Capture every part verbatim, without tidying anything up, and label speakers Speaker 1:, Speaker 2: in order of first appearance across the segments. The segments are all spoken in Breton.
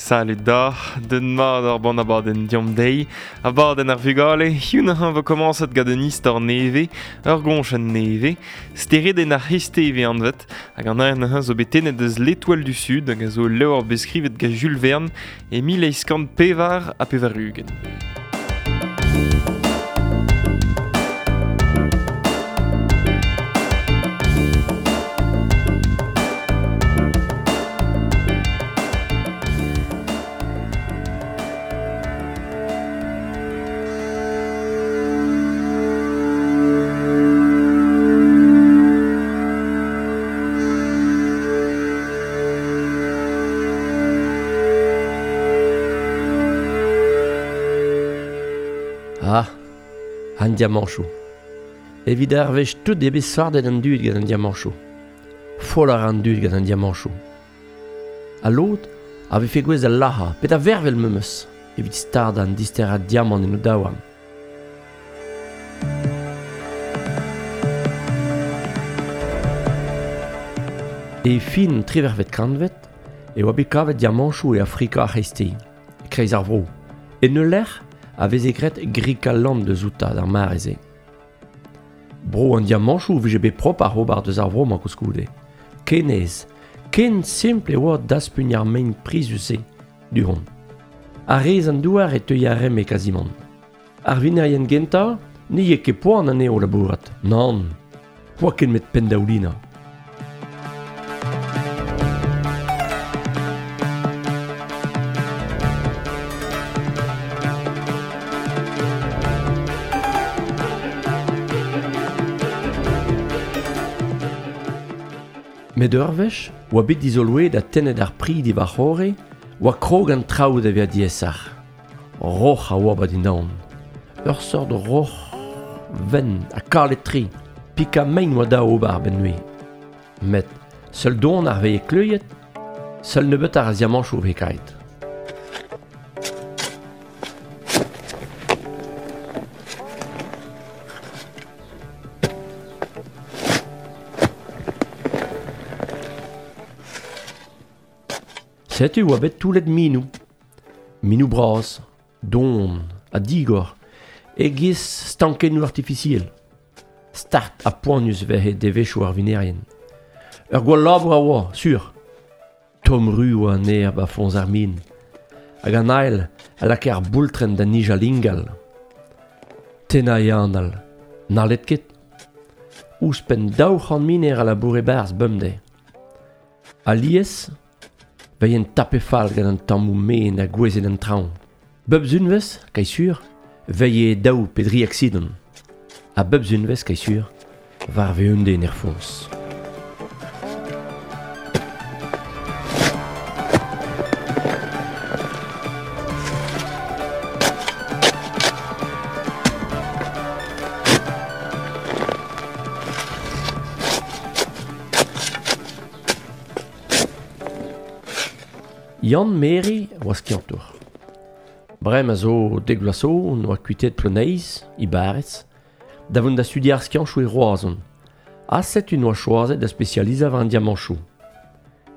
Speaker 1: Salut da, den mat ar ban abadenn diom deiz, abadenn ar vugale, hiziv an vo komañset gant un istor nevez, ur goñchenn nevez, steredenn ar c'hreisteiz vez anvet, hag an aer zo bet tennet eus L'Étoile du Sud, hag a zo ul levr bet skrivet gant Jules Verne e mil eizh kant pevar ha pevar-ugent.
Speaker 2: Ah, an diamanchoù. Evit ar wech tout eo bet sardet an dud gant an diamanchoù. Foll a ra an dud gant an diamanchoù. Ha lod a vefe gouez da lac'hañ, pe da vervel memes, evit stardañ an disterañ diamant en o daouarn. E fin triwec'hvet kantved e oa bet kavet diamanchoù e Afrika ar c'hreisteiz, e-kreiz ar vro. En ul lec'h a veze graet Griqualand deus outañ d'ar mare-se. Bro an diamanchoù vije bet propr ar ober deus ar vro-mañ koulskoude. Ken aes, ken simpl e oa daspugn ar mein prizus-se, du-hont. A-rez an douar e teuy ar rem e kazimant. Ar vinerien gentañ ne eo ket poan anezho labourat. Nann, oa ket met penn-daoulinañ. Met ur wech, oa bet dizoloet ha tennet ar pri diwar c'horre, oa krog an traoù da vezañ diaesoc'h. Roc'h a oa ba dindan. Ur seurt roc'h wenn ha kalet-tre, pikañ mein oa da ober a-benn neuze. Met seul don ar veze kleuiet, seul nebeut ar diamanchoù veze kaet. Setu oa bet toullet minoù. Minoù bras, don ha digor, e-giz stankennoù artifisiel. Start ha poanius veze devezhioù ar vinerien. Ur gwall labour a oa, sur. Tomm-ru oa an aer ba foñs ar min. Hag an ael a lakae ar boultrenn da nijal ingal. Tennañ e anal, n'hallet ket. Ouzhpenn daou c'hant miner a laboure e-barzh bemdez. Alies, veien tape fall gant an tammoù mein a gouezhet an traoñ. Bep sunvezh, kai sur, veie daou pe dri aksident. Ha bep sunvezh, kai sur, war ve un den er foñs. Yann Meri oa skiantour. Bremañ a zo dek vloaz zo oa kuitaet Ploneiz, e barrez, da vont da studiañ ar skianchoù e Roazhon. Ha setu noa choazet da spesializañ war an diamanchoù.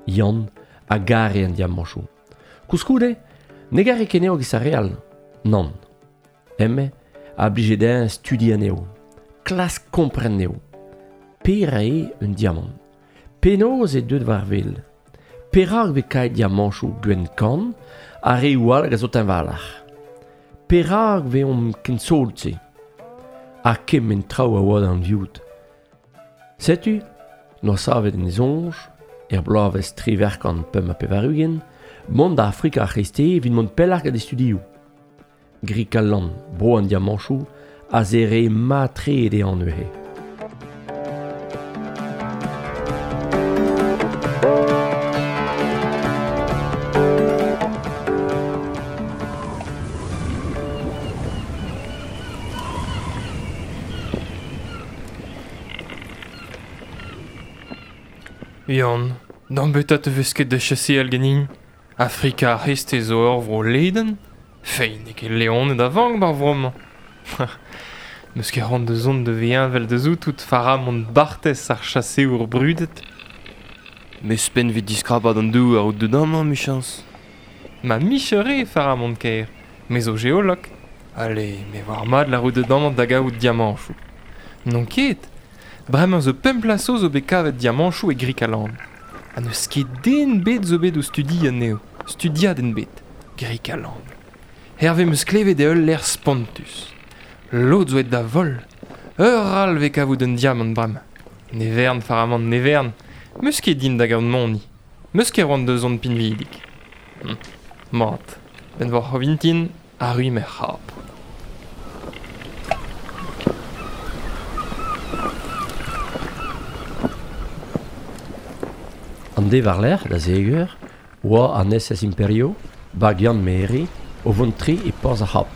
Speaker 2: Yann a gare an diamanchoù. Koulskoude, ne gare ket anezho giz ar re all. Nann. Hemañ a blije dezhañ studiañ anezho. Klask kompren anezho. Pera eo un diamant? Penaos eo deuet war wel? Perak vez kaet diamanchoù gwenn kann ha reoù all hag a zo teñvaloc'h? Perak veomp ken sot-se? Ha kement traoù a oa d'an viout. Setu, noa savet en e soñj, er bloavezh triwec'h kant pemp ha pevar-ugent, mont da Afrika ar c'hreisteiz evit mont pelloc'h gant e studioù. Griqualand, bro an diamanchoù, a zere mat-tre dezhañ neuze.
Speaker 1: Yann, d'an beta te vez ket da chaseal ganin. Afrika ar c'hreisteiz zo ur vro ledan. Fein n'eo ket leoned a vank bar vro-mañ. N'eus ket c'hoant da zont da vezañ evel da zoutout Faramond Barthes ar chaseour brudet.
Speaker 3: Mes penn 'vit diskrapat an douar out deut amañ, 'michañs.
Speaker 1: Ma michere faramont kaer, me zo geolog. Allez, me war mat la route de dam da gaout diamanchou. Non ket, bremañ zo pemp plaso zo bet kavet diamanchou e Grikaland. Ha n'eus ket den bet zo bet o studi anezho, studia den bet, Grikaland. Herve meus klevet e ul l'air spontus. Lod zo et da vol. Ur al ve kavout un diamant bremañ. Ne vern faramant ne vern, meus ket din da gaout moni. Meus ket roant deus on pinvidik. Hm. Mat, ben vor c'hovintin, arru mer c'hap.
Speaker 2: An de war lerc'h da zegur, oa an S S Imperio, bag Yann Meri, o vont tre e porzh ar c'hap.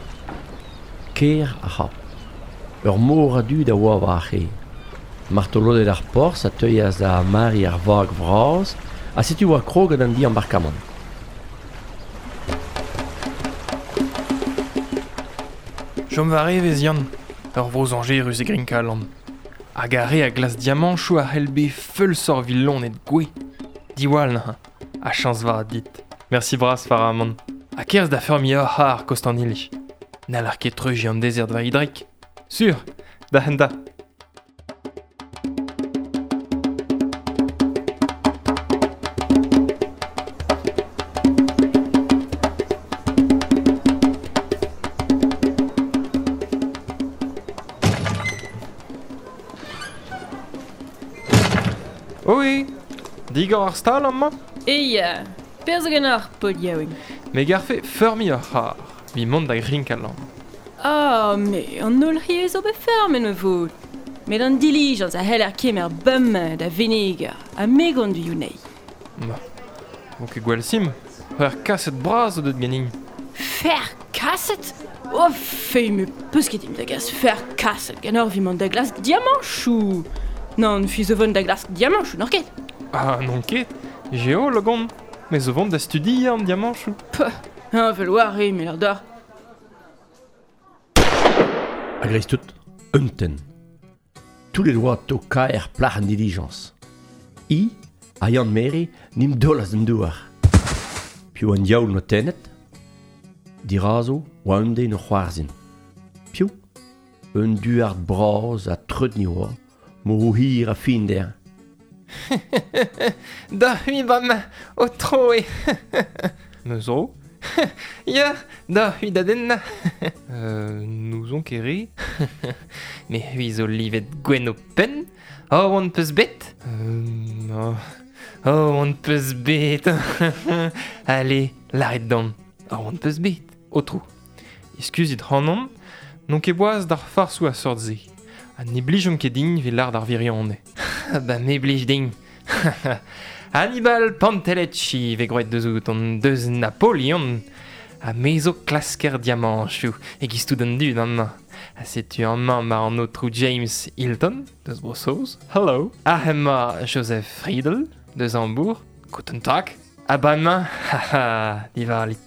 Speaker 2: Ker ar c'hap. Ur mor a du da oa war ar c'he. Martolodet ar porzh a teuias da mari ar vag vras, ha setu oa kroget an di embarkamant.
Speaker 1: Chom war evez Yann, ur vro zañjerus e Grinkaland. Hag ar re a glas diamanchoù a c'hell bet feulsor vil et gwe. Diwall neuze, a chañs vat dit. Merci bras faramant. Ha kerzh da feurmi ur c'har Kostanili. N'hall ar ket treuji an dezert war hidrek. Sur, da henda. Oi, digor ar stal amañ?
Speaker 3: E ya, perzh gant ar pod yaouank.
Speaker 1: Me garfe feurmi ur c'har, vi mont da Grinkaland.
Speaker 3: Ah, me an holl c'hiez zo bet fermet me vot. Met an dilijañs a c'hell ar kemer bum da venegar ha me gant du younei.
Speaker 1: Ma, vo ket gwell sim, ur kaset bras o deut ganin.
Speaker 3: Fer kaset? Oh, fei me peus ket im da gas fer kaset gant ur vi mont da glask diamanchou. Non, fi zo vont da glask diamanchou, n'or ket?
Speaker 1: Ah, non ket, geolog on, me zo vont da studiañ an diamanchou.
Speaker 3: Peuh, un vel war e, me l'ar d'ar.
Speaker 2: A greiz tout, un ten. Tous les doigts to kaer plac'h an dilijañs. I, a Yann Meri, nim dolas d'an douar. Piv an diaoul no tennet? Dirazo, oa un den o c'hoarzhin. Piv? Un duard bras a treut ni oa, mo hir a fin der.
Speaker 1: Da hui bam, o troe. Me zo? Ya, da hui da den. euh, nous on kere. Me hui zo livet gwen o pen. Oh, on peus bet. Euh, oh, oh, on peus bet. Allez, l'arrête d'an. Oh, on peus bet. O trou. Excuzit hanon, non ket boaz d'ar farsou a sort ze. Ha ne blijom ket din vet l'ar d'ar virione. Ba me blij din. Hannibal Pantelecci ve groet deus out an deus Napoleon. Ha me zo klasker diamanchou e giz tout an dud an. Ha setu an mañ ma an autrou James Hilton, deus Bro-Saoz. Hello. Ha hemañ Joseph Friedel, deus Hambourg. Guten Tag. Ha ba mañ, haha, divarlit.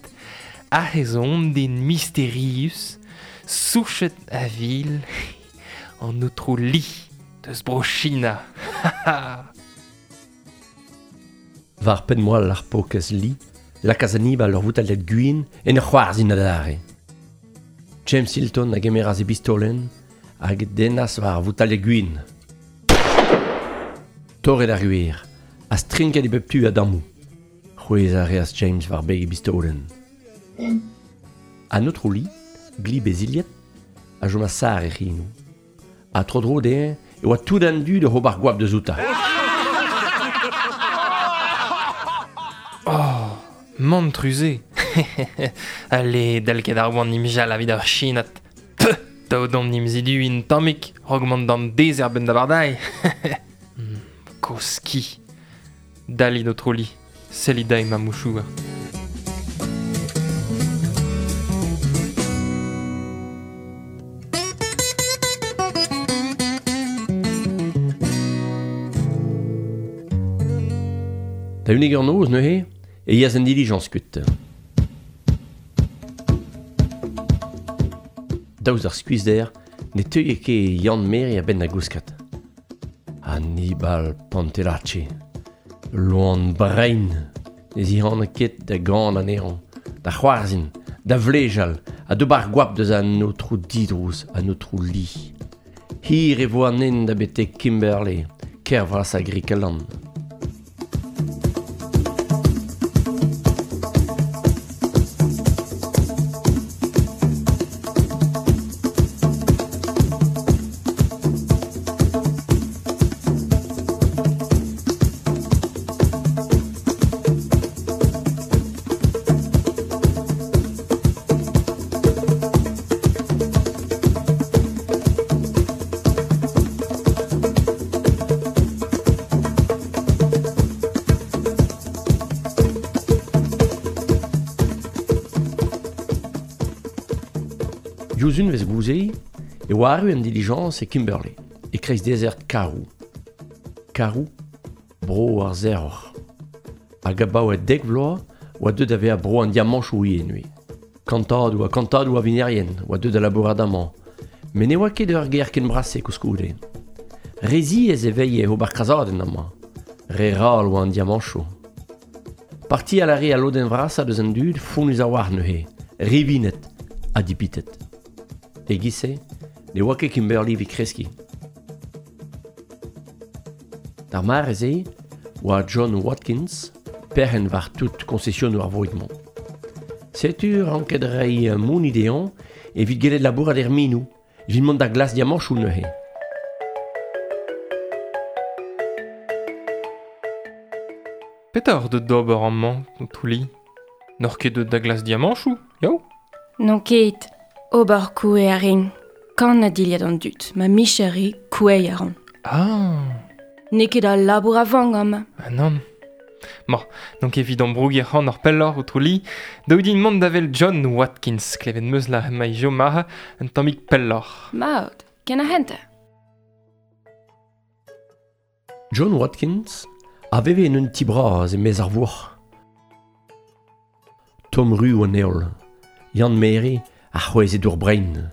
Speaker 1: Ha ez on den mysterius, souchet a vil, an autrou Li, deus Bro-China.
Speaker 2: War pen moal ar pokez Li, lakaz Hannibal ur voutal gwin en ur c'hoarzhin adarre. James Hilton a gemeras e bistolenn hag dennas war voutal gwin. Torret ar gwir, a strinket e bep tu a dammou. C'hwez a reas James war beg e bistolenn. An autrou Li, gli beziliet, a jom a sar e c'hinou. A tro dro dezhañ e oa tout an du de ober gwap deus outa.
Speaker 1: Oh, mantrusé. Allez, dal ket ar oan nimjal evit ar chinat. Peuh, daout an nimzidu in tammik, rogmant d'an dezer ben da bardai. Koski. Dali notre li, selida e ma mouchouer.
Speaker 2: Da unig ur noz neuze, e yas an dilijañs kuit. Daoust ar skuizhder, ne teuie ket Yann Meri a-benn da gouskat. Hannibal Pantelacci, loan brein, ne zihan ket da gant anezhañ, da c'hoarzhin, da vlejal, ha d'ober goap deus an aotrou didrouz, an aotrou Li. Hir e vo an hent da betek Kimberley, kêr vras a Grikeland. Diouzh unvez gouze e oa arru an dilijañs e Kimberley, e kreiz dezert Karoo. Karoo, bro ar zeroc'h. Hag abaoe dek vloaz oa deuet da vezañ bro an diamanchoù ivez neuze. Kantadoù ha kantadoù a vinerien oa deuet da labourat amañ. Met ne oa ket ur gêr ken brase koulskoude. Re ziaes e veilhe ober krazadenn amañ. Re ral oa an diamanchoù. Partial a re a lodenn vrasañ deus an dud fonnus a-walc'h neuze, rivinet ha dipitet. E-giz-se, ne oa ket Kimberley evit kreskiñ. D'ar mare-se oa John Watkins, perc'henn war tout koñsesionoù ar vroig-mañ. Setu ranket reiñ mounit dezhañ evit gellet labourat er minoù, evit mont da glask diamanchoù neuze.
Speaker 1: Petra oc'h deut d'ober amañ, aotrou Li ? N'oc'h ket deut da glask diamanchoù, yaou ?
Speaker 3: N'on ket. Ober koue a rin. Kan a dilhad an dud, ma micher eo koueiñ a ran.
Speaker 1: Ah.
Speaker 3: N'eo ket al labour a vank amañ.
Speaker 1: Ah nann. Ma, donc evit ambrougiñ ac'hann ur pelloc'h aotrou Li, daou din mont da wel John Watkins, klevet meus la emañ jo maha un tammig pelloc'h.
Speaker 3: Mat, ken a hent.
Speaker 2: John Watkins a veve en un ti bras e-maez ar vourc'h. Tomm ru an heol, Yann Mere a c'hwezhe dour brein.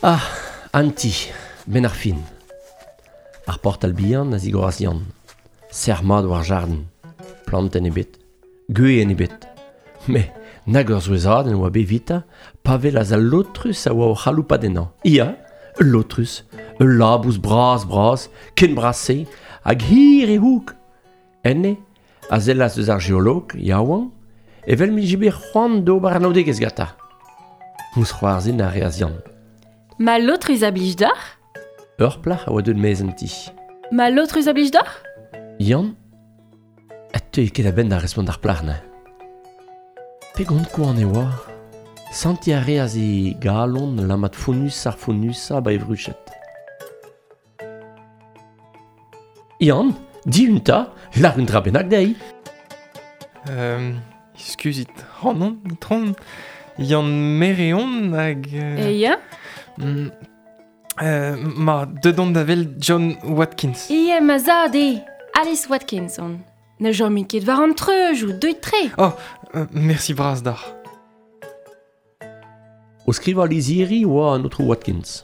Speaker 2: Ah, an ti, benn ar fin. Ar portal bihan a zigoras Yann. Serr mat war jardin. Plantenn ebet, gwezenn ebet. Met nag ur souezhadenn oa bet evitañ pa welas al lotrus a oa o c'haloupat ennañ. Ia, ul lotrus, ul labous bras-bras, ken bras-se, hag hir e houg. Enne, a sellas eus ar geolog, yaouank, evel m'ije bet c'hoant d'ober anaoudegezh gantañ. Mousc'hoarzhin a reas Yann.
Speaker 3: Ma lotrus a blij deoc'h ?
Speaker 2: Ur plac'h a oa deuet maez an ti.
Speaker 3: Ma lotrus a blij deoc'h ?
Speaker 2: Yann a teue ket a-benn da respont d'ar plac'h neuze. Pegont koant e oa. Sentiñ a reas e galon lammat fonnus ar fonnusañ ba e vruched. Yann, dihun 'ta, lâr un dra bennak dezhi.
Speaker 1: Euh, Eskuzit, ac'hanon, itron, Yann Mere on hag...
Speaker 3: Euh... E ya ?
Speaker 1: Mm, euh, ma, deut on da wel John Watkins.
Speaker 3: Ie, ma zad eo, Alice Watkins on. Ne chomit ket war an treujoù, deuit tre.
Speaker 1: Oh, euh, merci bras deoc'h.
Speaker 2: O skrivañ lizhiri oa an aotrou Watkins.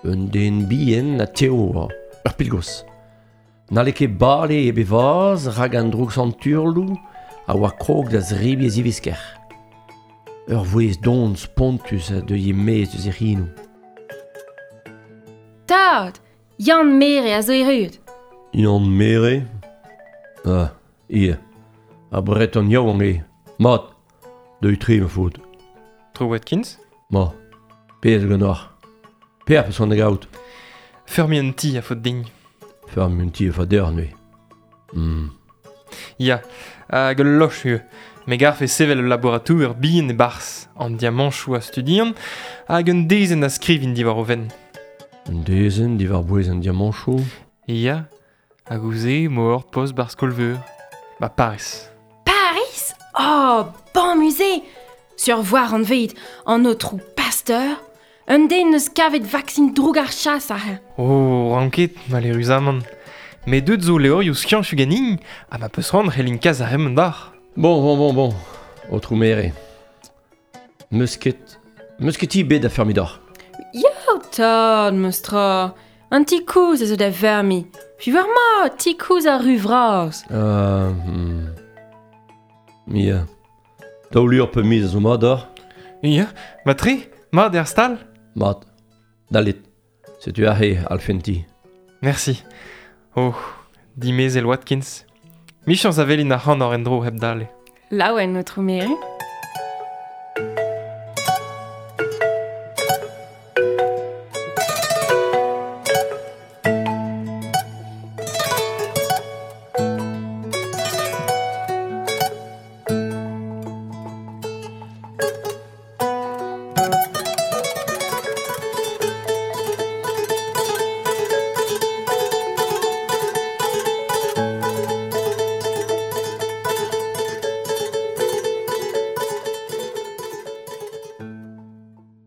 Speaker 2: Un den bihan ha tev oa, ur pilgos. N'halle ket bale hep e vazh rak an droug-santurloù a oa krog da zebriñ e zivisker. Ur vouezh don spontus a deuie e-maez eus e c'henoù.
Speaker 3: Tad, Yann Mere a zo erruet.
Speaker 2: Yann Mere ? Ah, ie. Ar Breton yaouank eo. Mat, deuit tre ma faotr.
Speaker 1: Aotrou Watkins ?
Speaker 2: Ma, pezh zo ganeoc'h. Peoc'h peus c'hoant da gaout.
Speaker 1: Feurmiñ un ti a faot din.
Speaker 2: Feurmiñ un ti a faot deoc'h neuze. Hmm.
Speaker 1: Ya, hag ul loch eo. Me garfe sevel ul labouratour bihan e-barzh, an diamanchoù a studian, hag un dezenn a skrivin diwar o fenn.
Speaker 2: Un dezenn diwar-bouez an diamanchoù ?
Speaker 1: Ya, hag ouzh-se emañ ur post barzh skol-veur. Ba Paris.
Speaker 3: Paris ? Oh, bon musée ! Sur voir anvet an aotrou Pasteur, un den neus kavet vaksin droug ar chas aze.
Speaker 1: Oh, ranket, maleüruzamant. Met deut zo levrioù skianchoù ganin, ha ma peus c'hoant c'hellin kas ar re-mañ deoc'h.
Speaker 2: Bon, bon, bon, bon, aotrou Mere. Meus ket, meus ket ti bet da feurmiñ deoc'h.
Speaker 3: Ya, tad, meus tra. An ti kouz a zo da vermi. Fi war ma, ti kouz ar ru vras.
Speaker 2: Euh... Hmm. Ya. Daou lur pe miz a zo mat d'or.
Speaker 1: Ya, ma tre, mat er stal.
Speaker 2: Mat. Dalit. Setu aze alfenti.
Speaker 1: Merci. Oh, dimezel Watkins. Michañs a velin ar c'han ar en-dro hep dale.
Speaker 3: Laouen, autrou Mere.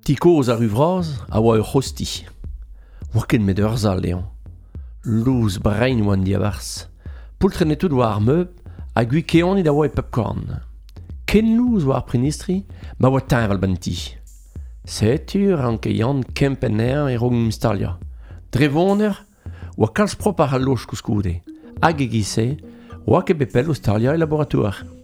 Speaker 2: Ti koz ar uvraz a oa ur c'hosti. Oa ken met ur zal eañ. Louz brein oan diabarzh. Poultren etout oa ar meub ha gwi keonit a oa e pep korn. Ken louz oa ar prenistri ma oa teñval ban ti. Setu ranke Yann kempenn eañ e raok mistalia. Dre voner oa kalz prop ar al loj koulskoude. Hag e giz-se oa ket bet pell o staliañ e laboratoire.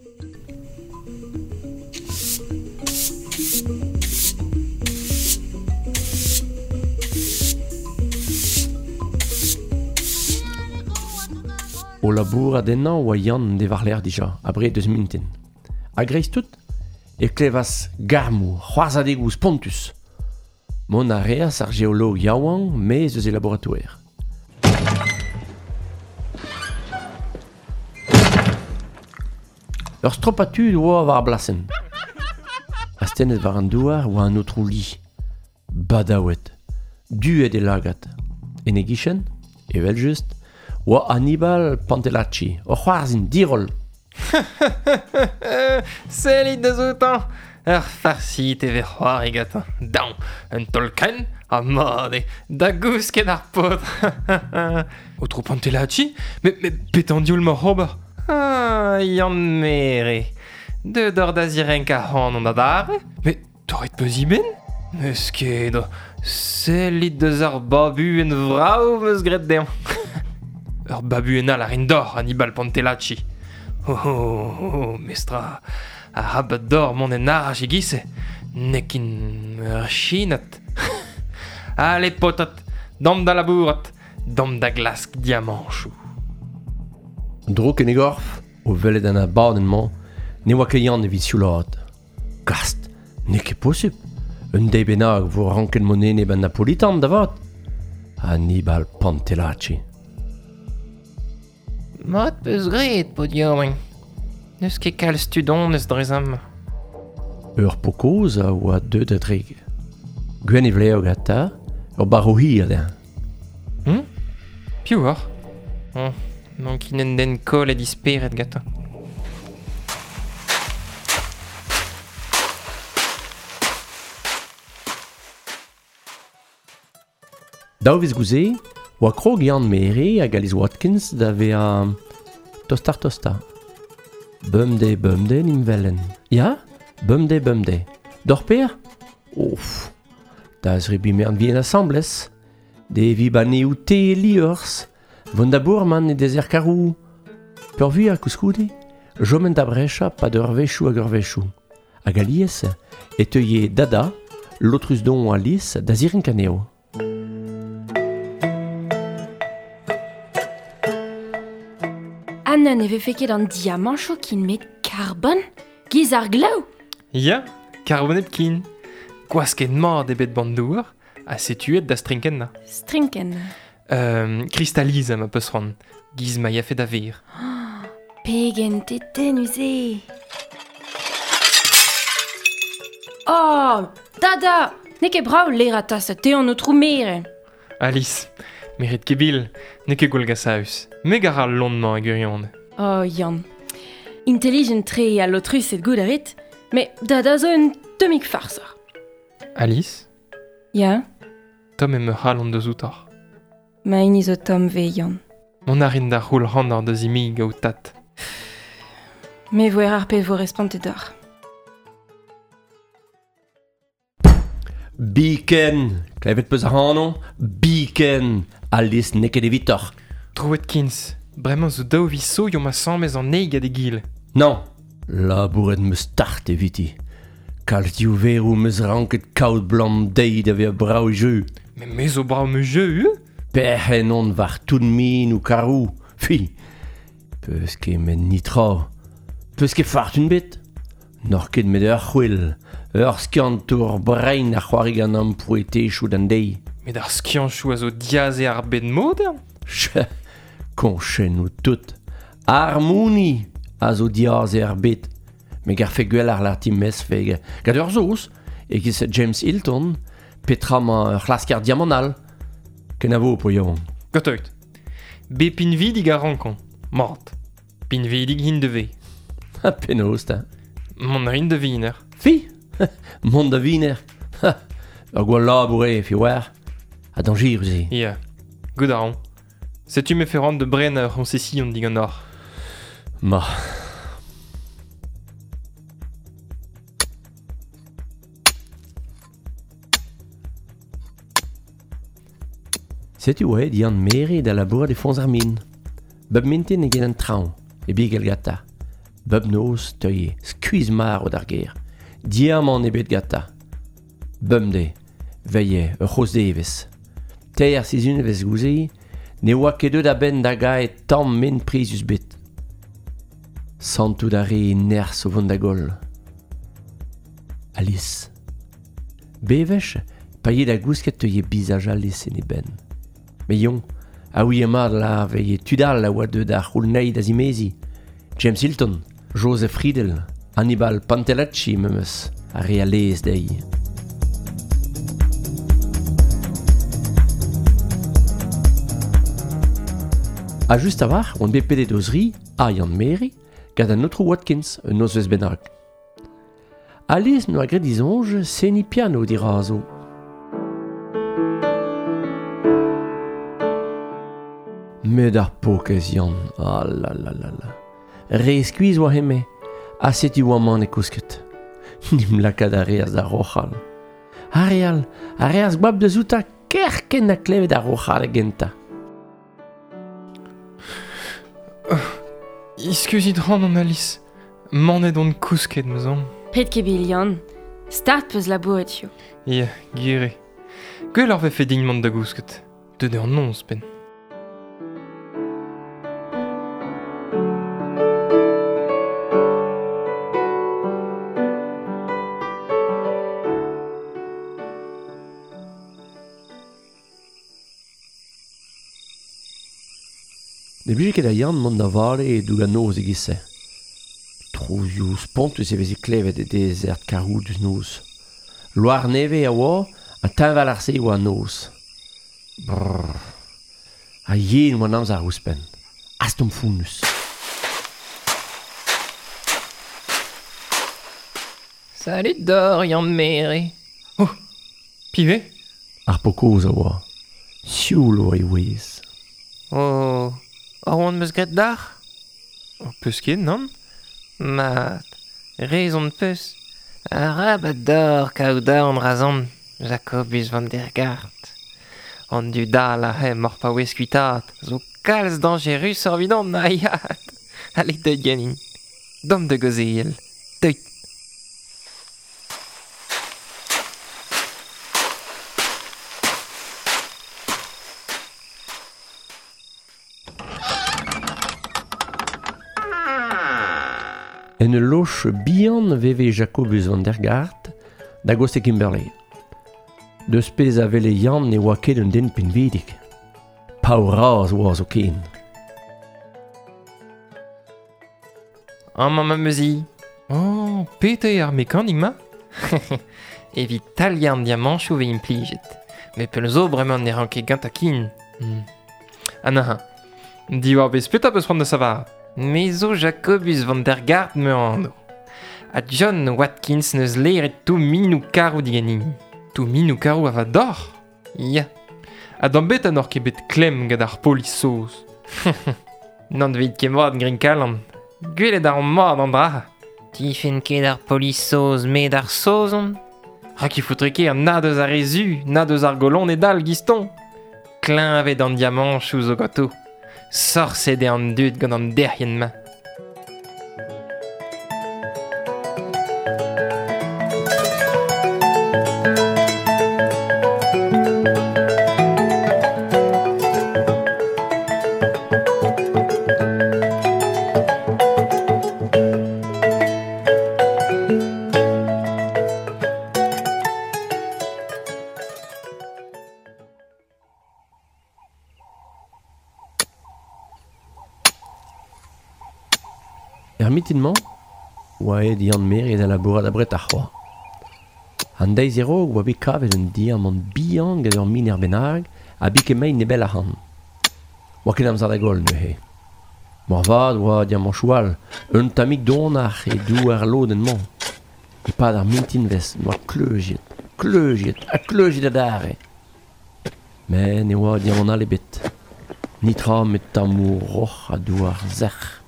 Speaker 2: O labourat ennañ oa Yann de war l'air dija, abre deus mintin. A greiz tout, e klevas garmoù, c'hoarzhadegoù spontus. Mont a reas ar geolog yaouank maez eus e laboratoire. Ur stropad tud oa war ar blasenn. Astennet war an douar oa an aotrou Li. Badaouet, duet e lagad. En e gichen, evel just, oa Hannibal Pantelacci, o c'hoarzhin diroll.
Speaker 1: Sellit da zoutañ. Ur farsit e vez c'hoari gantañ. Daon, un taol krenn, ha mat eo, da gousket ar paotr. Aotrou Pantelacci, met, met petra an diaoul m'oc'h ober? Ah, Yann Mere. Deut oc'h da zirenk ar c'han an adarre? Met torret peus he benn? N'eus ket, sellit deus ar babuenn vrav 'm eus graet dezhañ. Ur babuenn all a rin deoc'h, Hannibal Pantelacci. Oh, oh, oh, mestra, arabat deoc'h mont en araj e-giz-se. N'eo ket ur chinad. Allez, paotred, damp da labourat, damp da glask diamanchoù.
Speaker 2: Drouk en e gorf, o welet an abadenn-mañ, ne oa ket Yann evit sioulaat. Gast, n'eo ket posupl. Un deiz bennak vo ranket mont enep an Napolitan da vat. Hannibal Pantelacci.
Speaker 1: Mat peus graet, paotr yaouank. N'eus ket kalz tud honnezh dre zam.
Speaker 2: Ur pokoz a oa deuet a-drek. Gwenn e vlev gantañ, ur barv hir dezhañ.
Speaker 1: Hmm? Piv oc'h? Oh, n'on ket un den kollet e spered gantañ.
Speaker 2: Daou vez gouze, oa krog Yann Mere hag Alice Watkins da vezañ tostar tosta. Bemdez, bemdez n'im velen. Ya, bemdez, bemdez. D'or per? Ouf, da zrebi mern vien asambles. De vi baneoù te liorzh, vont da bourman e dezer karou. Peurvuiañ koulskoude, jomen da brechañ pad ur wechoù hag ur wechoù. Hag alies e teuie Dada, lotrus don Alice, da zirenk anezho.
Speaker 3: Anna ne vefe ket an diamanchoù kin met karbon? Giz ar glaou?
Speaker 1: Ya, karbon hepken. Gwasket mat eo bet ban douar, ha setuet da strinkennañ.
Speaker 3: Strinkenn.
Speaker 1: Euh, kristalizañ ma peus c'hoant, giz ma yafe da ver.
Speaker 3: Pegen tetennus eo. Oh, Dada, n'eo ket brav lerañ tas te an aotrou Mere.
Speaker 1: Alice, merit ket bil, n'eo ket gwallgasaus. Me gar al lon-mañ e gwirionez.
Speaker 3: Oh, Yann. Intelligent-tre ha lotrus et goût a rit, met Dada zo un tammig farser.
Speaker 1: Alice?
Speaker 3: Ya?
Speaker 1: Tomm eo ma c'halon deus outoc'h.
Speaker 3: Ma hini zo tomm 'vez, Yann.
Speaker 1: Mont a rin da c'houl c'han deus imi gaout tad.
Speaker 3: Me voer ar pezh vo respontet deoc'h.
Speaker 2: Biken, klevet peus ac'hanon? Biken, Alice n'eo ket evitoc'h.
Speaker 1: Troet Kins, bremañ zo daou viso yo ma sammez an eil gant egile.
Speaker 2: Non, labouret meus start eviti. Kalz diouveroù meus ranket kaout blam deiz da vezañ brav e jeu.
Speaker 1: Mais me zo brav me jeu, euh?
Speaker 2: Perc'henn on war tout min ou karou. Fi, peus ket met nitra. Peus ket fartun bet. N'oc'h ket met ur c'hwel, ur skiantour brein a c'hoari gant an poetechoù d'an deiz.
Speaker 1: Met ar skianchoù a zo diaze ar bed modern.
Speaker 2: Che, koñchennoù tout. Ar mouni a zo diaze ar bed. Me garfe gwell ar l'arti mesfeg. Gant ur zoz, e giz James Hilton, petra ma ur c'hlasker diamant all. Kenavo po yaouank.
Speaker 1: Gatoit. Be pinvidig a rankon. Mat. Pinvidig hin de ve.
Speaker 2: Ha penaos ta.
Speaker 1: Mont rin da viner.
Speaker 2: Fi, mont da viner. Ur gwall labour eo, fi war. Ha dañjerus eo.
Speaker 1: Ya, goût a ran. Setu me ferrant de bren ur c'hoñsesión digant oc'h.
Speaker 2: Ma. Setu oa Yann Mere da labourat e foñs ar min. Bep mintin e get an traoñ, e bigel gata. Bep noz teuie, skuizh marv d'ar gêr. Diamant ebet gata. Bemdez, veille ur c'hozh devezh. Teir sizhunvezh gouze, ne oa ket deuet a-benn da gaet tamm men prizus bet. Santout a re nerzh o vont da goll. Alice. Bevech, pa ye da gousket teuie bizaj Alice en e benn. Me yon, a ouie mat la veille tudal a oa deuet ar c'houlnei da zimezi. James Hilton, Joseph Riedel, Hannibal Pantelacci memes, a re a lez dezhi. A just a-walc'h on bet pedet o zri, a Yann Mere, gant an aotrou Watkins, un nozvezh bennak. Alice n'oa graet disoñj seniñ piano dirazo. Met ar pokez Yann, ah la la la la. Re skuizh oa heme, ha setu oa man e kousket. Nim lakaat a reas da roc'hal. Ar re all, a reas goap deus outa kerkent a klevet ar roc'hal gentañ.
Speaker 1: Iskuzit ran an Alice. Manet on kousket, meus an.
Speaker 3: Pet ket bil, Yann. Start peus labouret yo.
Speaker 1: Ya, gwir eo. Gwell ar vefe din mont da gousket. Deut eo an noz penn.
Speaker 2: Ne blije ket da Yann mont da vale e doug an noz e-giz-se. Trouzioù spontus e veze klevet e dezert karoudus noz. Loar nevez a oa, ha teñval ar se oa an noz. Brrr. Ha yen oa an amzer ouzhpenn. Astomp founnus.
Speaker 4: Salut d'or, Yann Mere.
Speaker 1: Oh, piv eo?
Speaker 2: Ar pokoz a oa. Sioul oa e ouez.
Speaker 4: Oh, ar oan meus graet d'ar?
Speaker 1: Oh, peus ket, nann?
Speaker 4: Mat, rezon peus. Arabat d'or kaout aon razon, Jacobus van der Gaart. An dud all a he mor paouez kuitaat, zo kalz dañjerus ur vidon na iat. Allez deuet ganin. Dom da gaozeal. Deuet.
Speaker 2: En ul loch bihan veve Jacobus van der Gaart da goste Kimberley. Deus pezh a wele Yann ne oa ket un den pinvidik. Paour-razh oa zo ken.
Speaker 4: Amañ ma meuzi.
Speaker 1: Oh, petra eo ar mekanik ma?
Speaker 4: Evit taliañ an diamanchoù ve implijet. Met pell zo bremañ ne ran ket gantañ ken.
Speaker 1: Hmm. Ha neuze, diwar bez petra peus c'hoant da savarat?
Speaker 4: Me zo Jacobus van der Gaart me anv. Ha John Watkins neus leret tou minou karou diganin.
Speaker 1: Tou minou karou a va d'or?
Speaker 4: Ya.
Speaker 1: Ha d'an bet an or ket bet klemm gant ar polis saoz.
Speaker 4: N'an veit ket mat grin kalan. Gwelet ar mat an dra. Tifen ket ar polis saoz met ar saozon.
Speaker 1: Rak e foutre ket na deus ar re zu, na deus ar golon e dal giston.
Speaker 4: Kleñved an diamanchoù zo ganto. Sorset eo an dud gant an derc'hienn-mañ.
Speaker 2: Er mitin-mañ, oa aet Yann Mere da labourat abret ar c'hoa. An deiz a-raok oa bet kavet un diamant bihan gant ur miner bennak ha biket mein nebell ac'hann. Oa ket amzer da goll neuze. Moarvat oa diamanchoù all, un tammig donac'h e douar lodenn-mañ. E-pad ar mintinvezh n'oa kleuziet, kleuziet ha kleuziet adarre. Met ne oa diamant all ebet. Netra met tammoù roc'h ha douar sec'h.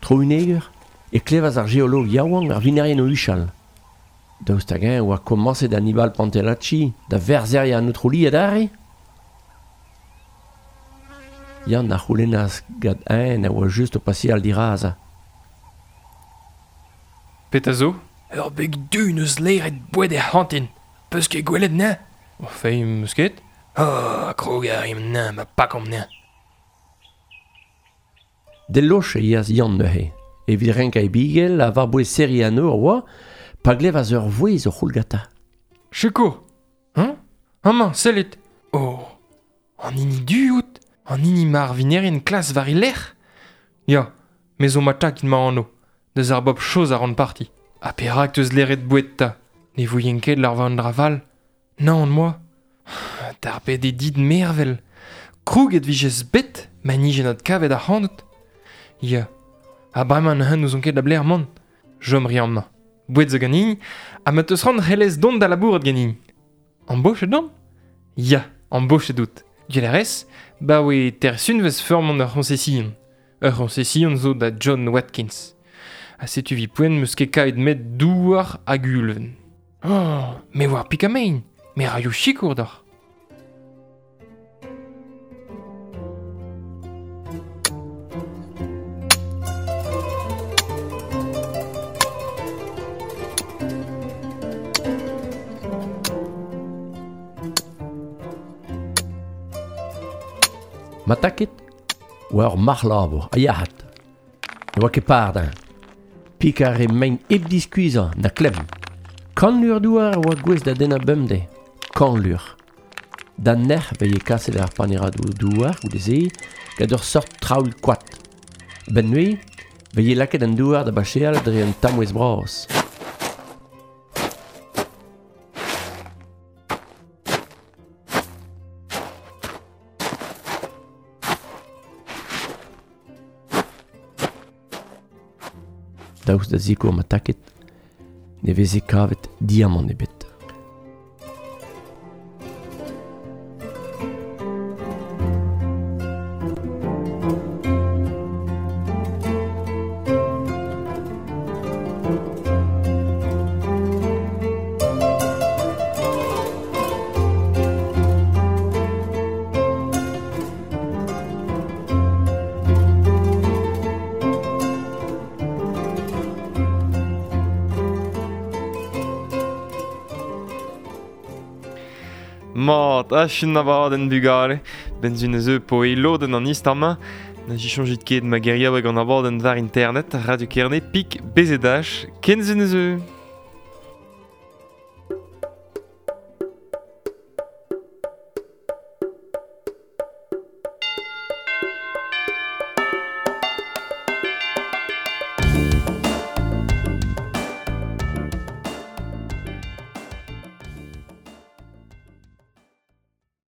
Speaker 2: Tro uneger e klevas ar geolog yaouank ar vinerien o huchal. Daoust hag-eñ oa komañset Hannibal Pantelacci da verzheriañ an aotrou adarre ? Yann a c'houlennas gant eñ a oa just o paseal dirazañ.
Speaker 1: Petra zo ?
Speaker 4: Ur beg du n'eus laeret boued er c'hantin. Peus ket gwelet 'nezañ ?
Speaker 1: O feiz 'meus ket.
Speaker 4: Oh, krog a rimp 'nezañ ma pakomp 'nezañ.
Speaker 2: D'e loch e yeas Yann neuze. Evit renkañ e bigell ha war-bouez serriñ an nor oa, pa glevas ur vouezh o c'houlgata.
Speaker 1: Sikour ! Hein ? Amañ, sellit !
Speaker 4: Oh, an hini du out ?
Speaker 1: An hini ma ar vinerien klas war e lerc'h ? Ya, me zo ma takin ma anv, deus ar bob chose a ran parti. Ha perak teus leret boued ta ? Ne voien ket lar war an dra val ? Nann, moi. D'ar bet eo dit mervel. Krouget vijes bet, ma nije nat kavet ac'hanout. Ya, ha bremañ neuze n'ouzon ket da blec'h mont. Chom 'ri amañ. Boued zo ganin, ha ma teus c'hoant c'hellez dont da labourat ganin. Embochet on ? Ya, embochet out. Gwell a rez, ba oe tersunvez feurmont ur c'hoñsesion. Ur c'hoñsesion zo da John Watkins. Ha setu vi poent meus ket kavet met douar hag ulven. Oh, me war pikamein, me raio sikour deoc'h.
Speaker 2: Ma taket oa ur marc'h labour, a yac'had. Ne oa ket par d'añ. Pik ar re mein hep diskuizhañ, na klemm. Kant lur douar oa gouest da dennañ bemdez. Kant lur. Da nec'h veye kaset ar paneradoù douar goude-se gant ur seurt traoù koad. Ben nuit, veye lakaet an douar da bacheal dre un tamouez bras. Daoust da zikour ma taket, ne veze kavet diamant ebet.
Speaker 1: Mat, ach un abadenn bugale. Benzun eus po e lodenn an istor-mañ. Na jichonjit ket ma geriaoueg an abadenn war internet, Radio Kerne, pik, B Z H, kenzun eus.